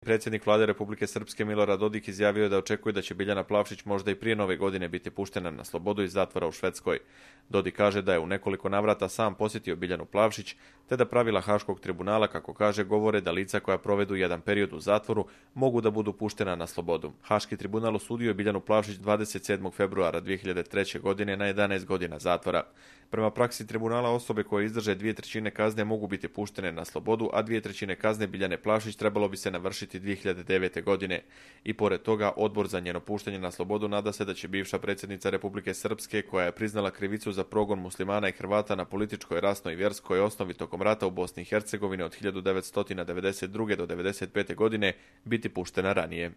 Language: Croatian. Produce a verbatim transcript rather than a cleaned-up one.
Predsjednik vlade Republike Srpske Milorad Dodik izjavio je da očekuje da će Biljana Plavšić možda i prije nove godine biti puštena na slobodu iz zatvora u Švedskoj. Dodik kaže da je u nekoliko navrata sam posjetio Biljanu Plavšić, te da pravila Haškog tribunala, kako kaže, govore da lica koja provedu jedan period u zatvoru mogu da budu puštena na slobodu. Haški tribunal osudio je Biljanu Plavšić dvadeset sedmog februara dvije hiljade treće. godine na jedanaest godina zatvora. Prema praksi tribunala, osobe koje izdrže dvije trećine kazne mogu biti puštene na slobodu, a dvije trećine kazne Biljane Plavšić trebalo bi se navršiti dvije hiljade devete. godine. I pored toga, odbor za njeno puštanje na slobodu nada se da će bivša predsjednica Republike Srpske, koja je priznala krivicu za progon muslimana i Hrvata na političkoj, rasnoj i vjerskoj osnovi tokom rata u Bosni i Hercegovini od hiljadu devetsto devedeset druge. do devedeset pete. godine, biti puštena ranije.